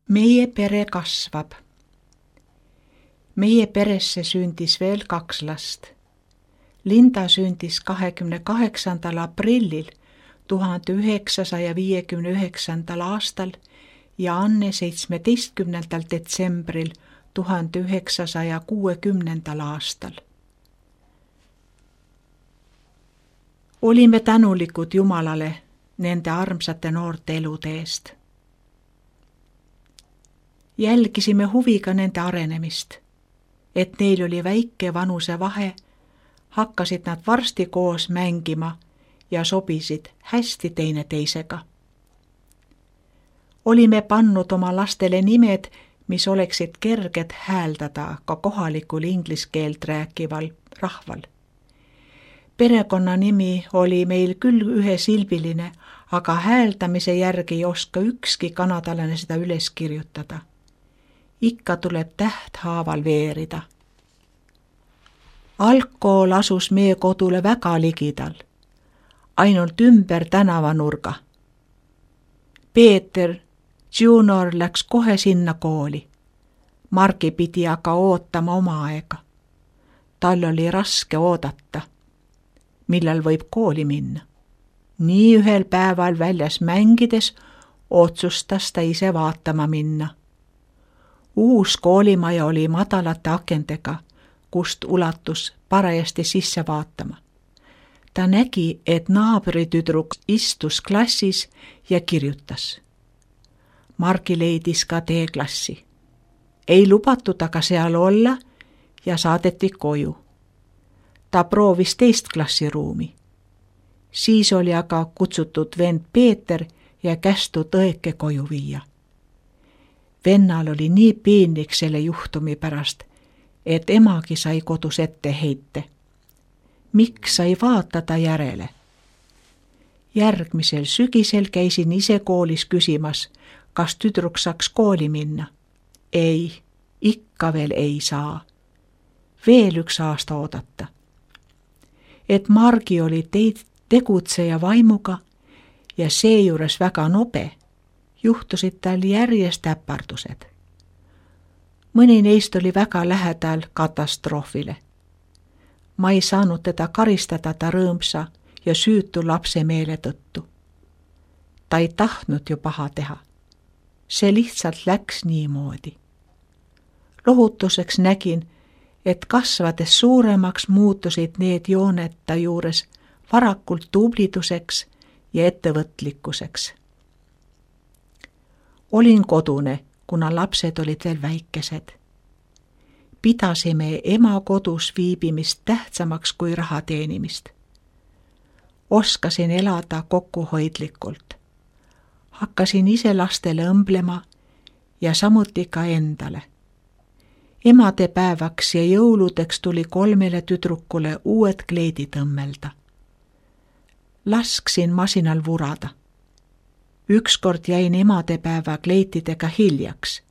Meie pere kasvab. Meie peresse sündis veel 2 last. Linda sündis 28. aprillil 1959. aastal ja Anne 17. detsembril 1960. aastal. Olime tänulikud Jumalale nende armsate noorte elude eest. Jälgisime huviga nende arenemist, et neil oli väike vanusevahe, hakkasid nad varsti koos mängima ja sobisid hästi teineteisega. Olime pannud oma lastele nimed, mis oleksid kerged hääldada ka kohalikul inglise keelt rääkival rahval. Perekonnanimi oli meil küll ühesilbiline, aga hääldamise järgi ei oska ükski kanadalane seda üles kirjutada. Ikka tuleb tähthaaval veerida. Algkool asus meie kodule väga ligidal, ainult ümber tänavanurga. Peeter Junior läks kohe sinna kooli. Margi pidi aga ootama oma aega. Tal oli raske oodata, millal võib kooli minna. Nii ühel päeval väljas mängides otsustas ta ise vaatama minna. Uus koolimaja oli madalate akendega, kust ulatus parajasti sisse vaatama. Ta nägi, et naabritüdruk istus klassis ja kirjutas. Margi leidis ka teeklassi. Ei lubatud aga seal olla ja saadeti koju. Ta proovis 2. klassiruumi. Siis oli aga kutsutud vend Peeter ja kästud õeke koju viia. Vennal oli nii piinlik selle juhtumi pärast, et emagi sai kodus ette heite. Miks sai vaatada järele? Järgmisel sügisel käisin ise koolis küsimas, kas tüdruk saaks kooli minna. Ei, ikka veel ei saa. Veel 1 aasta oodata. Et Margi oli tegutseja vaimuga ja seejuures väga nobe, juhtusid tal järjest äpardused. Mõni neist oli väga lähedal katastroofile. Ma ei saanud teda karistada ta rõõmsa ja süütu lapse meele tõttu. Ta ei tahtnud ju paha teha. See lihtsalt läks niimoodi. Lohutuseks nägin, et kasvades suuremaks muutusid need jooned ta juures varakult tubliduseks ja ettevõtlikkuseks. Olin kodune, kuna lapsed olid veel väikesed. Pidasime ema kodus viibimist tähtsamaks kui raha teenimist. Oskasin elada kokkuhoidlikult. Hakkasin ise lastele õmblema ja samuti ka endale. Emadepäevaks ja jõuludeks tuli 3 tüdrukule uued kleidid õmmelda. Lasksin masinal vurada. Ükskord jäin emadepäeva kleitidega hiljaks.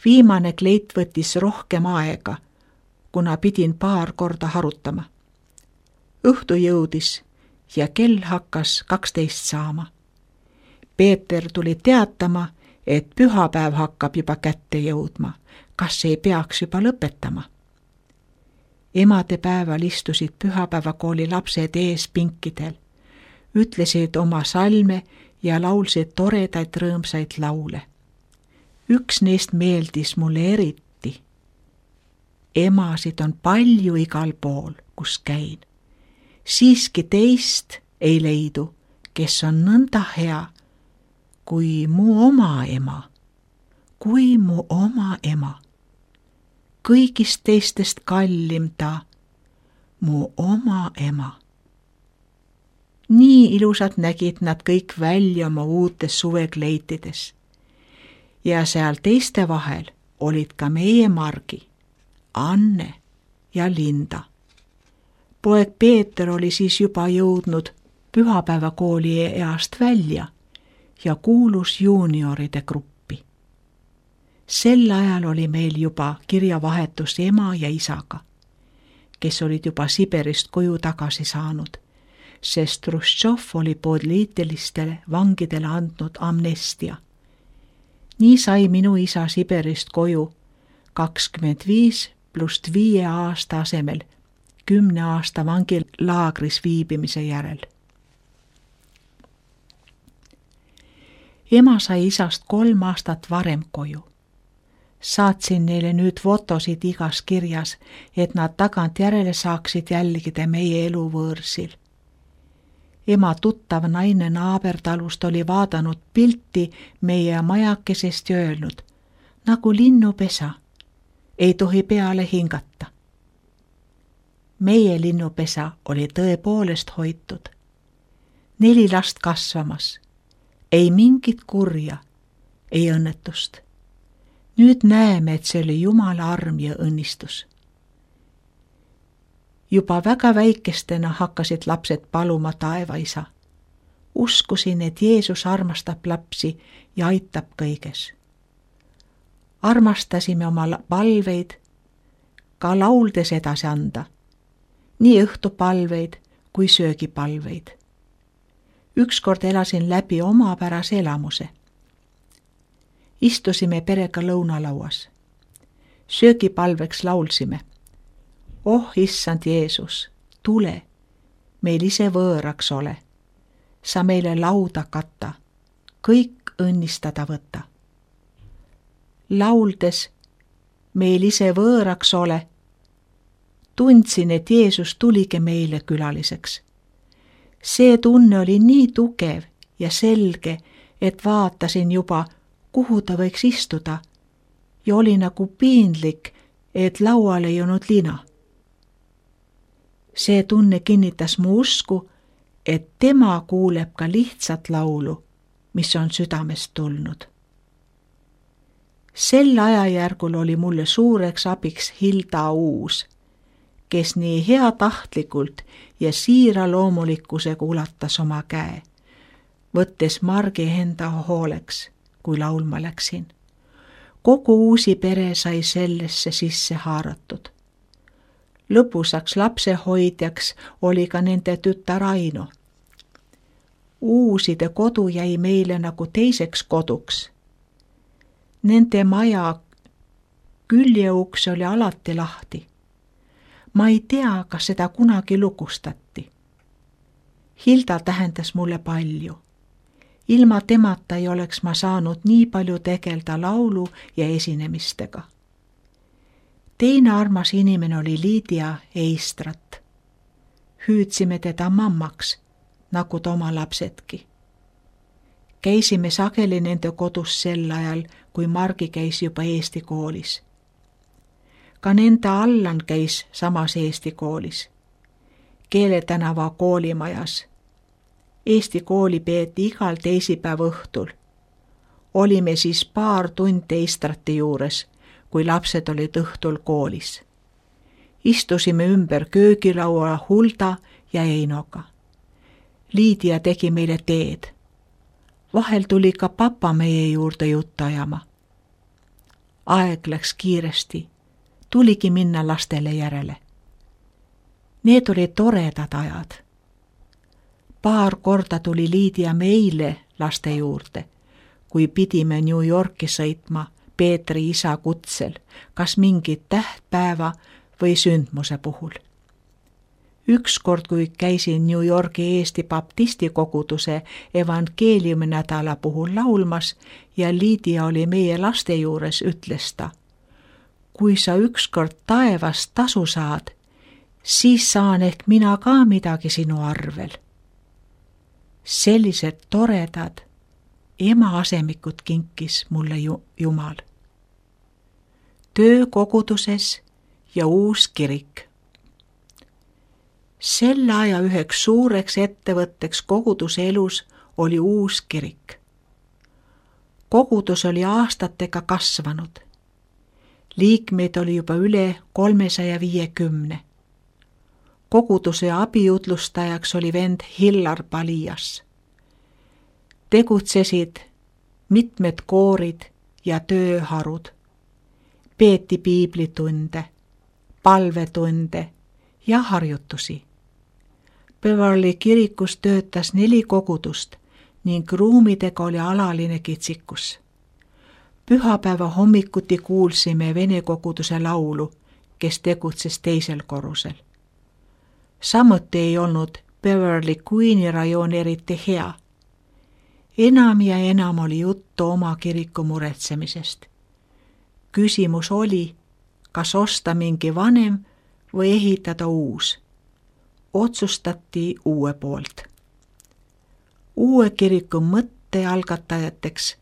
Viimane kleit võttis rohkem aega, kuna pidin paar korda harutama. Õhtu jõudis ja kell hakkas 12 saama. Peeter tuli teatama, et pühapäev hakkab juba kätte jõudma. Kas ei peaks juba lõpetama? Emadepäeval istusid pühapäevakooli lapsed ees pinkidel, ütlesid oma salme ja laulsid toredaid rõõmsaid laule. Üks neist meeldis mulle eriti. Emasid on palju igal pool, kus käin. Siiski teist ei leidu, kes on nõnda hea, kui mu oma ema. Kui mu oma ema. Kõigist teistest kallim ta, mu oma ema. Nii ilusad nägid nad kõik välja oma uutes suvekleitides. Ja seal teiste vahel olid ka meie Margi, Anne ja Linda. Poeg Peeter oli siis juba jõudnud pühapäevakooli east välja ja kuulus juunioride gruppi. Sel ajal oli meil juba kirjavahetus ema ja isaga, kes olid juba Siberist koju tagasi saanud, sest Hruštšov oli poliitilistele vangidele andnud amnestia. Nii sai minu isa Siberist koju 25 + 5 aasta asemel 10 aasta vangilaagris viibimise järel. Ema sai isast 3 aastat varem koju. Saatsin neile nüüd fotosid igas kirjas, et nad tagantjärele saaksid jälgida meie elu võõrsil. Ema tuttav naine naabertalust oli vaadanud pilti meie majakesest ja öelnud, nagu linnupesa, ei tohi peale hingata. Meie linnupesa oli tõepoolest hoitud. 4 last kasvamas, ei mingit kurja, ei õnnetust. Nüüd näeme, et see oli Jumala arm ja õnnistus. Juba väga väikestena hakkasid lapsed paluma taevaisa. Uskusin, et Jeesus armastab lapsi ja aitab kõiges. Armastasime oma palveid ka lauldes edasi anda, nii õhtupalveid kui söögipalveid. Ükskord elasin läbi omapärase elamuse. Istusime perega lõunalauas. Söögipalveks laulsime. Oh, issand Jeesus, tule, meil ise võõraks ole. Sa meile lauda kata, kõik õnnistada võta. Lauldes, meil ise võõraks ole, tundsin, et Jeesus tuligi meile külaliseks. See tunne oli nii tugev ja selge, et vaatasin juba, kuhu ta võiks istuda ja oli nagu piinlik, et laual ei olnud lina. See tunne kinnitas mu usku, et tema kuuleb ka lihtsat laulu, mis on südamest tulnud. Sel ajajärgul oli mulle suureks abiks Hilda Uus, kes nii heatahtlikult ja siira loomulikkusega ulatas oma käe, võttes Margi enda hooleks, kui laulma läksin. Kogu Uusi pere sai sellesse sisse haaratud. Lõpusaks lapsehoidjaks oli ka nende tütar Aino. Uuside kodu jäi meile nagu teiseks koduks. Nende maja küljeuks oli alati lahti. Ma ei tea, kas seda kunagi lukustati. Hilda tähendas mulle palju. Ilma temata ei oleks ma saanud nii palju tegelda laulu ja esinemistega. Teine armas inimene oli Liidia Eistrat. Hüüdsime teda mammaks, nagu ta oma lapsedki. Käisime sageli nende kodus sel ajal, kui Margi käis juba Eesti koolis. Ka nende Allan käis samas Eesti koolis, Keeletänava koolimajas. Eesti kooli peeti igal teisipäeva õhtul. Olime siis paar tundi Eistrati juures, kui lapsed olid õhtul koolis. Istusime ümber köögilaua Hulda ja Einoga. Liidia tegi meile teed. Vahel tuli ka papa meie juurde juttu ajama. Aeg läks kiiresti. Tuligi minna lastele järele. Need olid toredad ajad. Paar korda tuli Liidia meile laste juurde, kui pidime New Yorki sõitma Peetri isa kutsel, kas mingit tähtpäeva või sündmuse puhul. Ükskord, kui käisin New Yorgi Eesti baptisti koguduse evangeeliumi nädala puhul laulmas ja Liidia oli meie laste juures, ütles ta, kui sa ükskord taevast tasu saad, siis saan ehk mina ka midagi sinu arvel. Sellised toredad ema asemikud kinkis mulle Jumal. Töö koguduses ja uus kirik. Selle aja üheks suureks ettevõtteks koguduse elus oli uus kirik. Kogudus oli aastatega kasvanud. Liikmeid oli juba üle 350. Koguduse abijutlustajaks oli vend Hillar Palias. Tegutsesid mitmed koorid ja tööharud. Peeti piiblitunde, palvetunde ja harjutusi. Beverly kirikus töötas 4 kogudust ning ruumidega oli alaline kitsikus. Pühapäeva hommikuti kuulsime vene koguduse laulu, kes tegutses teisel korrusel. Samuti ei olnud Beverly Queen'i rajoon eriti hea. Enam ja enam oli juttu oma kiriku muretsemisest. Küsimus oli, kas osta mingi vanem või ehitada uus. Otsustati uue poolt. Uue kiriku mõtte algatajateks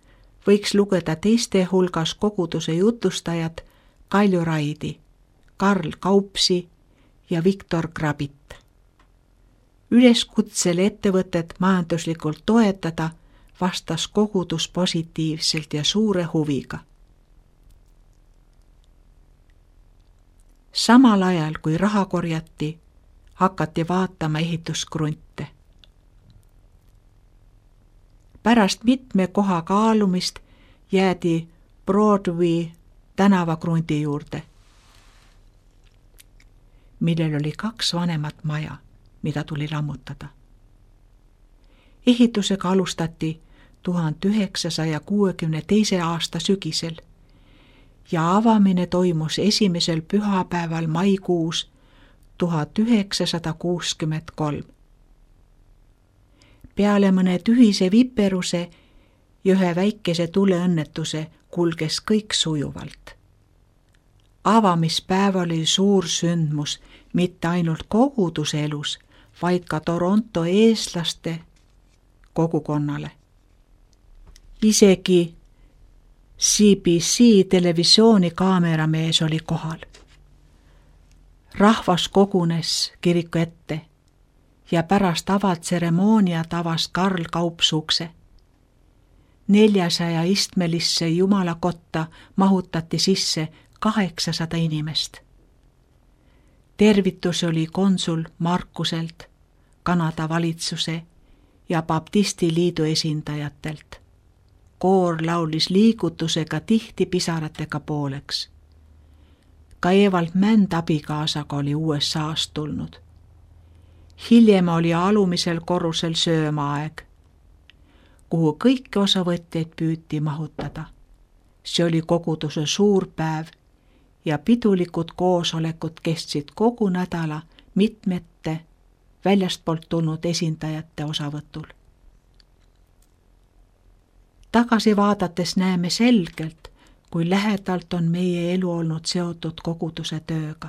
võiks lugeda teiste hulgas koguduse jutustajad Kalju Raidi, Karl Kaupsi ja Viktor Grabit. Üleskutsele ettevõtet majanduslikult toetada vastas kogudus positiivselt ja suure huviga. Samal ajal, kui raha korjati, hakati vaatama ehituskrunte. Pärast mitme koha kaalumist jäädi Broadway tänavakrunti juurde, millel oli 2 vanemat maja, mida tuli lammutada. Ehitusega alustati 1962. aasta sügisel ja avamine toimus esimesel pühapäeval maikuus 1963. Peale mõne tühise viperuse ja ühe väikese tuleõnnetuse kulges kõik sujuvalt. Avamispäeval oli suur sündmus mitte ainult koguduse elus, vaid ka Toronto eestlaste kogukonnale. Isegi CBC televisiooni kaameramees oli kohal. Rahvas kogunes kiriku ette ja pärast avatseremooniat avas Karl Kaups ukse. 400 istmelisse jumalakotta mahutati sisse 800 inimest. Tervitus oli konsul Markuselt, Kanada valitsuse ja Baptisti liidu esindajatelt. Koor laulis liigutusega tihti pisaratega pooleks. Ka Evald Mänd abikaasaga oli USA-st tulnud. Hiljem oli alumisel korrusel söömaaeg, kuhu kõiki osavõtjaid püüti mahutada. See oli koguduse suur päev ja pidulikud koosolekud kestsid kogu nädala mitmete väljastpoolt tulnud esindajate osavõtul. Tagasi vaadates näeme selgelt, kui lähedalt on meie elu olnud seotud koguduse tööga.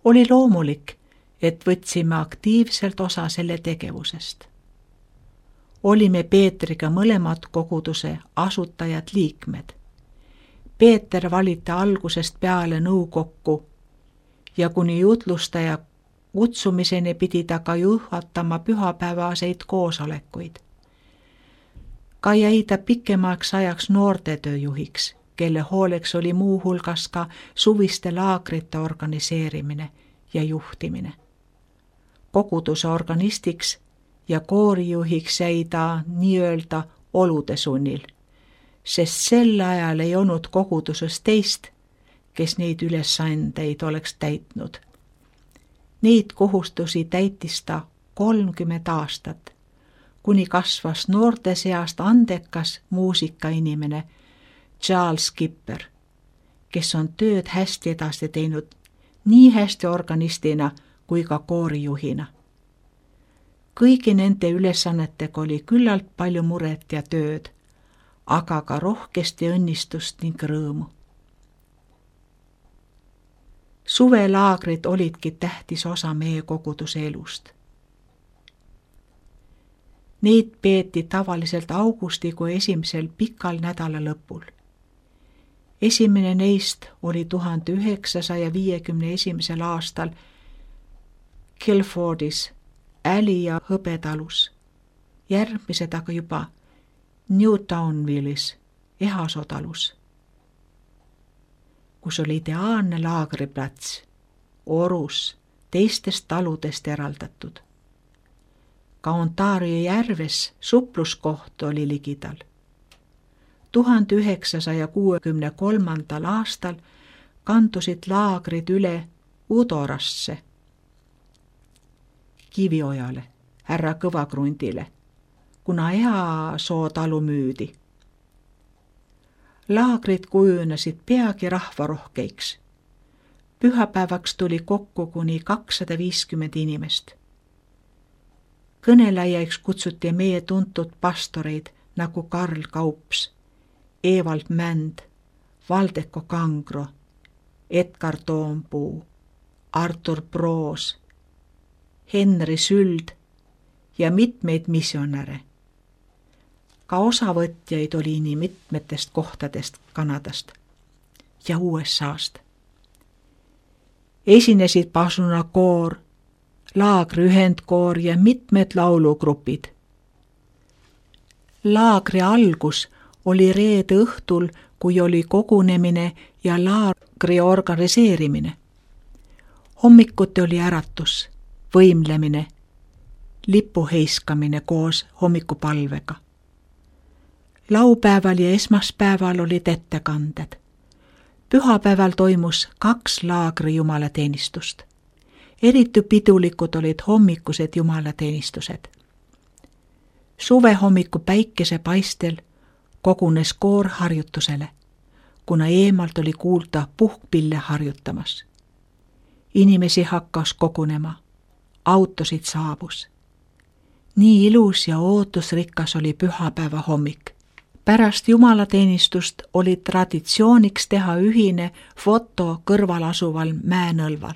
Oli loomulik, et võtsime aktiivselt osa selle tegevusest. Olime Peetriga mõlemad koguduse asutajad liikmed. Peeter valiti algusest peale nõukokku ja kuni jutlustaja kutsumiseni pidi ta ka juhatama pühapäevaseid koosolekuid. Ka jäi ta pikemaks ajaks noortetöö juhiks, kelle hooleks oli muu hulgas ka suviste laagrite organiseerimine ja juhtimine. Koguduse organistiks ja koorijuhiks jäi ta nii-öelda olude sunnil, sest sel ajal ei olnud koguduses teist, kes neid ülesandeid oleks täitnud. Neid kohustusi täitis ta 30 aastat, kuni kasvas noorte seast andekas muusikainimene Charles Skipper, kes on tööd hästi edasi teinud nii hästi organistina kui ka koorijuhina. Kõigi nende ülesannetega oli küllalt palju muret ja tööd, aga ka rohkesti õnnistust ning rõõmu. Suvelaagrid olidki tähtis osa meie koguduse elust. Neid peeti tavaliselt augustikuu esimesel pikal nädala lõpul. Esimene neist oli 1951. aastal Kilfordis, Äli ja Hõbetalus, järgmised aga juba Newtownvillis, Ehasoo talus, kus oli ideaalne laagriplats, orus, teistest taludest eraldatud. Ka Ontario järves supluskoht oli ligidal. 1963. aastal kandusid laagrid üle Udorasse, Kiviojale, härra Kõvakrundile, kuna Ehasoo talu müüdi. Laagrid kujunesid peagi rahvarohkeiks. Pühapäevaks tuli kokku kuni 250 inimest. Kõnelejaiks kutsuti meie tuntud pastoreid nagu Karl Kaups, Evald Mänd, Valdeko Kangro, Edgar Toompuu, Artur Proos, Henri Süld ja mitmeid missionäre. Ka osavõtjaid oli nii mitmetest kohtadest Kanadast ja USA-st. Esinesid pasunakoor, laagri ühendkoor ja mitmed laulugrupid. Laagri algus oli reede õhtul, kui oli kogunemine ja laagri organiseerimine. Hommikuti oli äratus, võimlemine, lipu heiskamine koos hommikupalvega. Laupäeval ja esmaspäeval olid ettekanded. Pühapäeval toimus 2 laagri jumalateenistust. Eriti pidulikud olid hommikused jumalateenistused. Suve hommiku päikesepaistel kogunes koor harjutusele, kuna eemalt oli kuulda puhkpille harjutamas. Inimesi hakkas kogunema, autosid saabus. Nii ilus ja ootusrikas oli pühapäeva hommik. Pärast jumalateenistust oli traditsiooniks teha ühine foto kõrval asuval mäenõlval.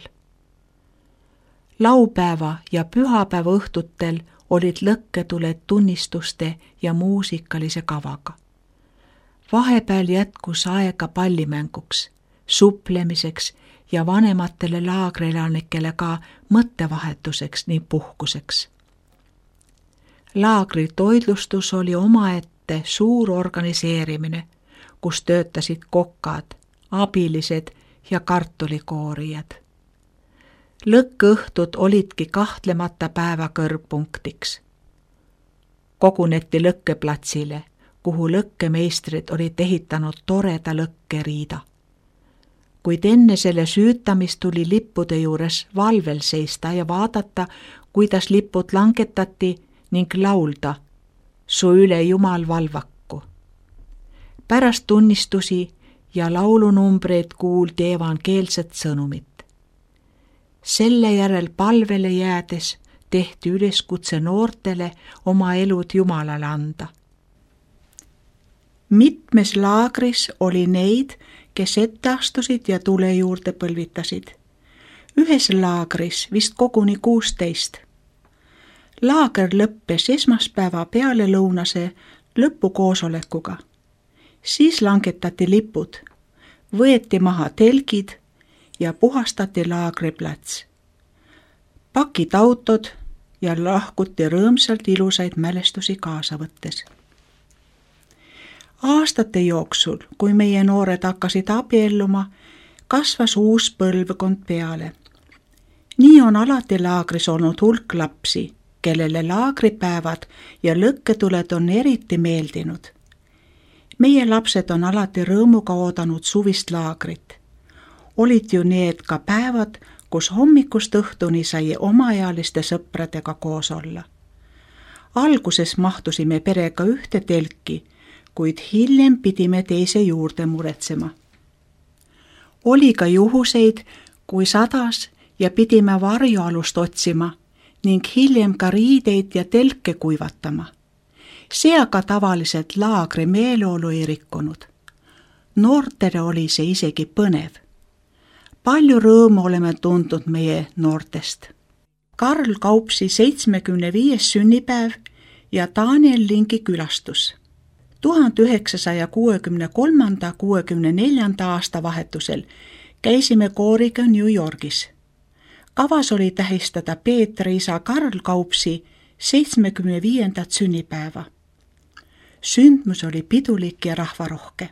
Laupäeva ja pühapäeva õhtutel olid lõkketuled tunnistuste ja muusikalise kavaga. Vahepeal jätkus aega pallimänguks, suplemiseks ja vanematele laagrielanikele ka mõttevahetuseks ning puhkuseks. Laagri toitlustus oli omaette suur organiseerimine, kus töötasid kokad, abilised ja kartulikoorijad. Lõkkeõhtud olidki kahtlemata päeva kõrgpunktiks. Koguneti lõkkeplatsile, kuhu lõkkemeistrid olid ehitanud toreda lõkkeriida. Kuid enne selle süütamist tuli lippude juures valvel seista ja vaadata, kuidas lipud langetati ning laulda Su üle Jumal valvaku. Pärast tunnistusi ja laulunumbreid kuuldi evangeelset sõnumit. Selle järel palvele jäädes tehti üleskutse noortele oma elud Jumalale anda. Mitmes laagris oli neid, kes ette astusid ja tule juurde põlvitasid. Ühes laagris vist koguni 16. Laager lõppes esmaspäeva pealelõunase lõpukoosolekuga. Siis langetati lipud, võeti maha telgid ja puhastati laagriplats. Pakid autod ja lahkuti rõõmsalt ilusaid mälestusi kaasa võttes. Aastate jooksul, kui meie noored hakkasid abielluma, kasvas uus põlvkond peale. Nii on alati laagris olnud hulk lapsi, kellele laagripäevad ja lõkketuled on eriti meeldinud. Meie lapsed on alati rõõmuga oodanud suvist laagrit. Olid ju need ka päevad, kus hommikust õhtuni sai omaealiste sõpradega koos olla. Alguses mahtusime perega ühte telki, kuid hiljem pidime teise juurde muretsema. Oli ka juhuseid, kui sadas ja pidime varjualust otsima ning hiljem ka riideid ja telke kuivatama. See aga tavaliselt laagri meeleolu ei rikkunud. Noortele oli see isegi põnev. Palju rõõmu oleme tundnud meie noortest. Karl Kaupsi 75. sünnipäev ja Daniel Lingi külastus. 1963–64 aasta vahetusel käisime kooriga New Yorgis. Kavas oli tähistada Peetri isa Karl Kaupsi 75. sünnipäeva. Sündmus oli pidulik ja rahvarohke.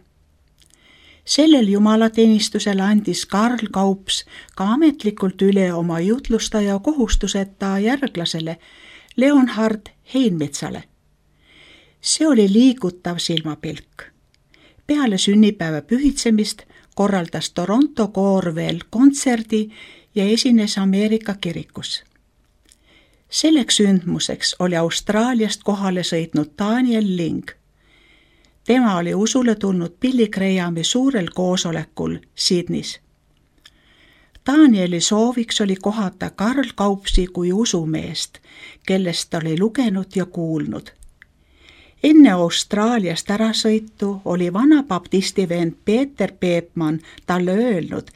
Sellel jumalateenistusel andis Karl Kaups ka ametlikult üle oma jutlustaja kohustuseta järglasele Leonhard Heinmetsale. See oli liigutav silmapilk. Peale sünnipäeva pühitsemist korraldas Toronto koor veel kontserdi ja esines Ameerika kirikus. Selleks sündmuseks oli Austraaliast kohale sõitnud Daniel Ling. Tema oli usule tulnud Billy Grahami suurel koosolekul Sydneys. Danieli sooviks oli kohata Karl Kaupsi kui usumeest, kellest ta oli lugenud ja kuulnud. Enne Austraaliast ärasõitu oli vana baptisti vend Peeter Peepmann talle öelnud,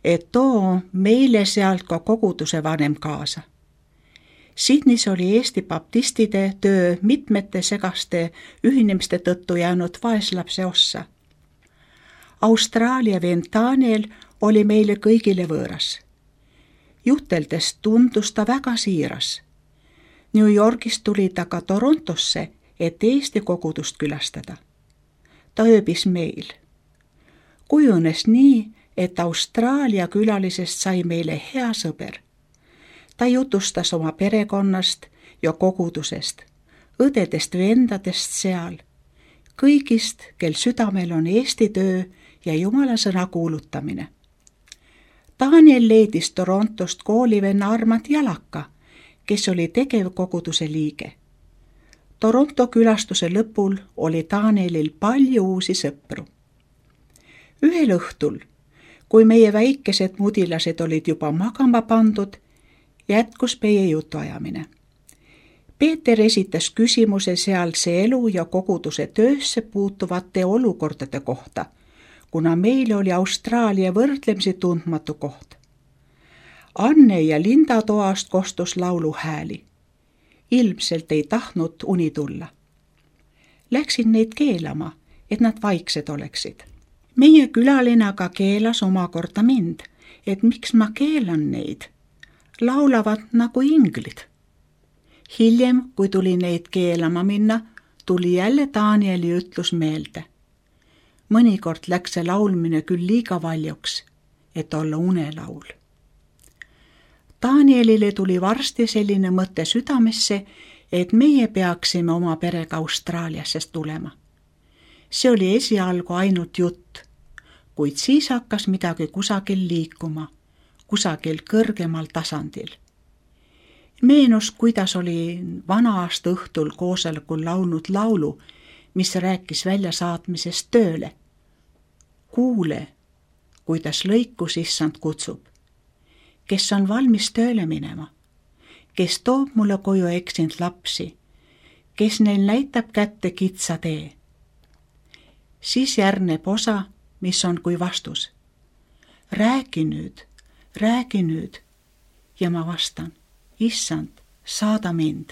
et too meile sealt ka koguduse vanem kaasa. Sydneys oli Eesti baptistide töö mitmete segaste ühinemiste tõttu jäänud vaeslapse ossa. Austraalia vend Daniel oli meile kõigile võõras. Juteldes tundus ta väga siiras. New Yorgist tuli ta ka Torontosse, et Eesti kogudust külastada. Ta ööbis meil. Kujunes nii, et Austraalia külalisest sai meile hea sõber. Ta jutustas oma perekonnast ja kogudusest, õdedest vendadest seal, kõigist, kel südamel on Eesti töö ja Jumala sõna kuulutamine. Daniel leidis Torontost koolivenna Armand Jalaka, kes oli tegevkoguduse liige. Toronto külastuse lõpul oli Danielil palju uusi sõpru. Ühel õhtul, kui meie väikesed mudilased olid juba magama pandud, jätkus meie jutuajamine. Peeter esitas küsimuse sealse elu ja koguduse töösse puutuvate olukordade kohta, kuna meil oli Austraalia võrdlemisi tundmatu koht. Anne ja Linda toast kostus lauluhääli. Ilmselt ei tahtnud uni tulla. Läksin neid keelama, et nad vaiksed oleksid. Meie külaline aga keelas omakorda mind, et miks ma keelan neid. Laulavad nagu inglid. Hiljem, kui tuli neid keelama minna, tuli jälle Danieli ütlus meelde. Mõnikord läks see laulmine küll liiga valjuks, et olla unelaul. Danielile tuli varsti selline mõte südamesse, et meie peaksime oma perega Austraaliasse tulema. See oli esialgu ainult jutt, kuid siis hakkas midagi kusagil liikuma, kusagil kõrgemal tasandil. Meenus, kuidas oli vana-aasta õhtul koosolekul laulnud laulu, mis rääkis väljasaatmisest tööle. Kuule, kuidas lõikus issand kutsub, kes on valmis tööle minema, kes toob mulle koju eksinud lapsi, kes neil näitab kätte kitsa tee. Siis järgneb osa, mis on kui vastus. Räägi nüüd ja ma vastan, issand, saada mind.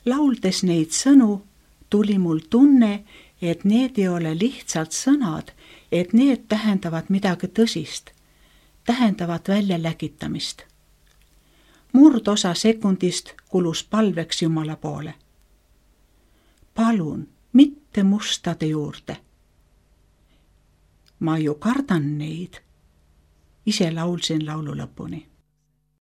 Lauldes neid sõnu tuli mul tunne, et need ei ole lihtsalt sõnad, et need tähendavad midagi tõsist, tähendavad väljaläkitamist. Murdosa sekundist kulus palveks Jumala poole. Palun, mitte mustade juurde. Ma ju kardan neid. Ise laulsin laulu lõpuni.